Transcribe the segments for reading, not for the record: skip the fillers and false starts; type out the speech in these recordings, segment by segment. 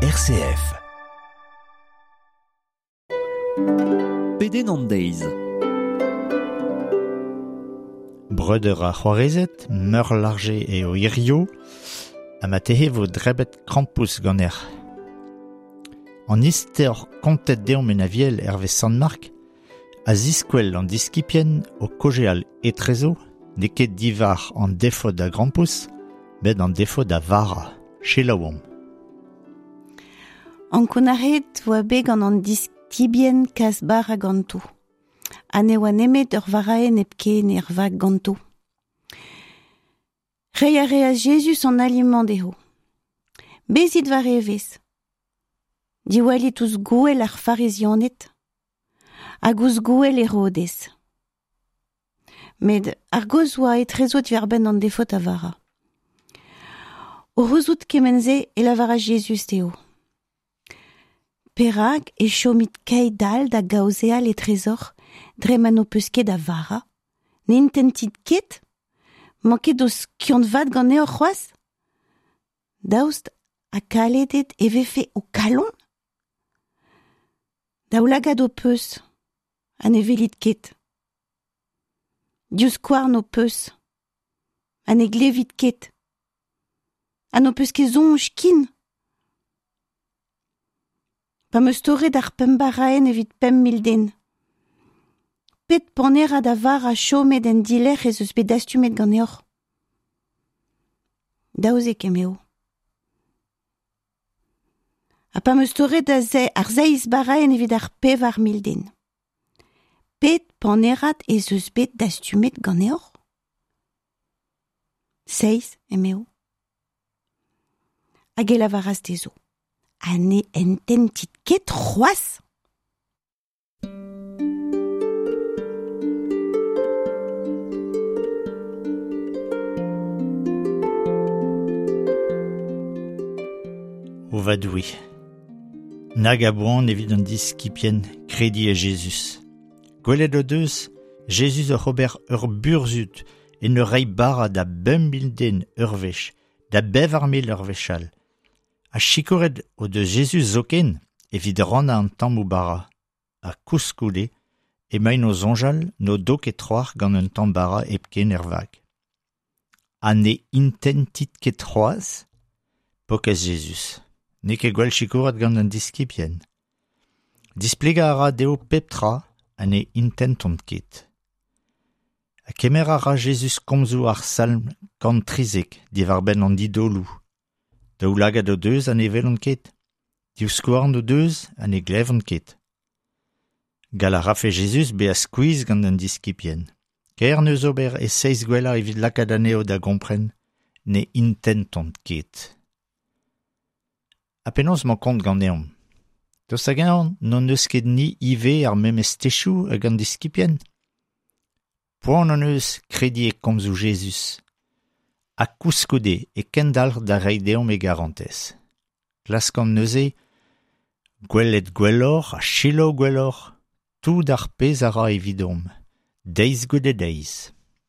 RCF. Pedenn an deiz. Breudeur ar c'hoarezed, meurlarje eo hirio, ha ma tehe vo drebet krampouezh ganec'h. An istor kontet deomp en aviel hervez Sant-Mark a ziskwel an diskibien o kaozeal etrezo n'eo ket diwar an defod a grampouezh, met an defod a vara. Selaouomp. Ankounac'haet oa bet gant an diskibien kas bara ganto. Ha ne oa nemet ur varaenn hepken er vag ganto. Reiñ a reas Jezuz an ali-mañ dezho. Bezit war evezh. Diwallit ouzh gouel ar Farizianed hag ouzh gouel Herodez. Met ar gaoz oa etrezo diwar-benn an defot a vara. O c'houzout kement-se e lavaras Jezuz dezho. Perak e chomit keit-all da gaozeal etrezoc'h dre ma n'ho peus ket a vara? Ne intentit ket? Mañ ket ho skiant-vat ganeoc'h c'hoazh? Daoust ha kaledet e vefe ho kalon? Daoulagad ho peus ha ne welit ket. Divskouarn ho peus ha ne glevit ket. Ha n'ho peus ket soñj ken? Pa 'm eus torret ar pemp baraenn evit 5000 den. Pet panerad a vara chomet en dilerc'h ez eus bet dastumet ganeoc'h? 12 emeo. Ha pa 'm eus torret ar seizh baraenn evit ar 4000 den. Pet panerad ez eus bet dastumet ganeoc'h? Seizh, emeo. Hag e lavaras dezho, ha ne ententit ket c'hoazh? O va Doue, nag a boan evit an diskibien krediñ e Jezuz. Gwelet o deus Jezuz oc'h ober ur burzhud en ur reiñ bara da 5000 den ur wech, da 4000 ur wech all. Ha sikouret o deus Jezuz zoken evit rannañ an tammoù bara. Ha koulskoude emaint o soñjal n'o do ket trawalc'h gant un tamm bara hepken er vag. Ha ne intentit ket c'hoazh? Pokez Jezuz. N'eo ket gwell sikouret gant an diskibien. Displegañ a ra dezho pep tra ha ne intentont ket. Ha kemer a ra Jezuz komzoù ar Salm 113 diwar-benn an didoloù. Daoulagad o deus ha ne welont ket. Divskouarn o deus ha ne glevont ket. Gall a rafe Jezuz bezañ skuizh gant an diskibien. Kaer 'neus ober e seizh gwellañ evit lakaat anezho da gompren ne intentont ket. Ha penaos 'mañ kont ganeomp? Daoust hag-eñ n'hon eus ket ni ivez ar memes techoù hag an diskibien? Poan hon eus krediñ e komzoù Jezuz. Ha koulskoude e kendalc'h da reiñ deomp e garantez. Klaskomp neuze gwelet gwelloc'h ha selaou gwelloc'h tout ar pezh a ra evidomp, deiz goude deiz.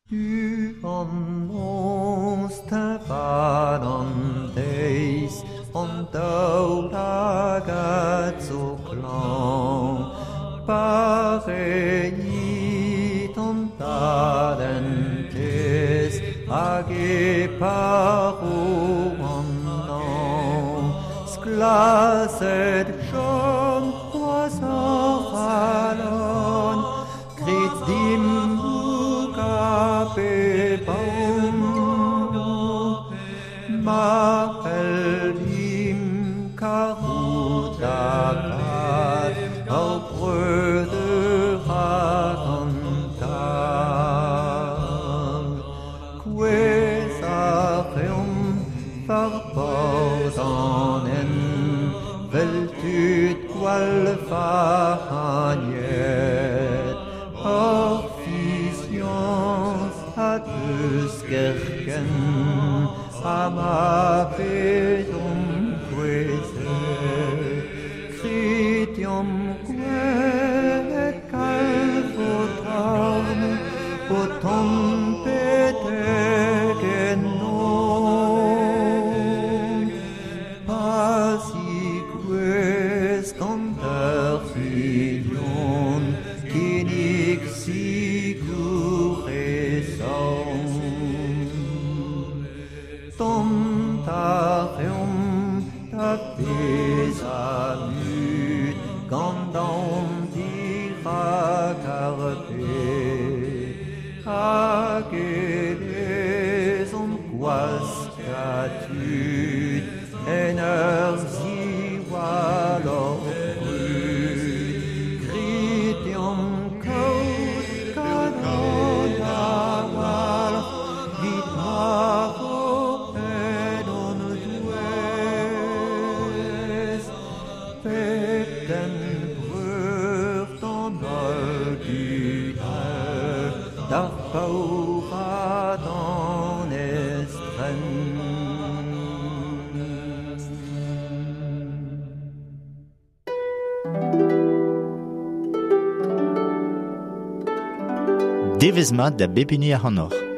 Du an noz, teñval an deiz, an daoulagad zo klañv. Pareit an dallentez hag e paro an nañv. Sklaset chom c'hoazh hor c'halon, grit dimp mougañ pep aon. Ma c'hellimp karout da vat hor breudeur hag an tad. Kouezhañ 'reomp war bord an hent 'vel tud gwall vac'hagnet. Hor fiziañs a deus kerkent ha ma vezomp kouezhet. Grit deomp gwelet kalz ho torn o tont betek ennomp. Pa Da beza mut gant an dirak ar bed Hag e vezomp gwaskatud en ur ziwall hor brud. Grit deomp kaout kalon a-walc'h 'vit ma vo en hon douez pep den breur d'an holl dud all, d'ar paour ha d'an estren. Devezh mat da bep hini ac'hanoc'h.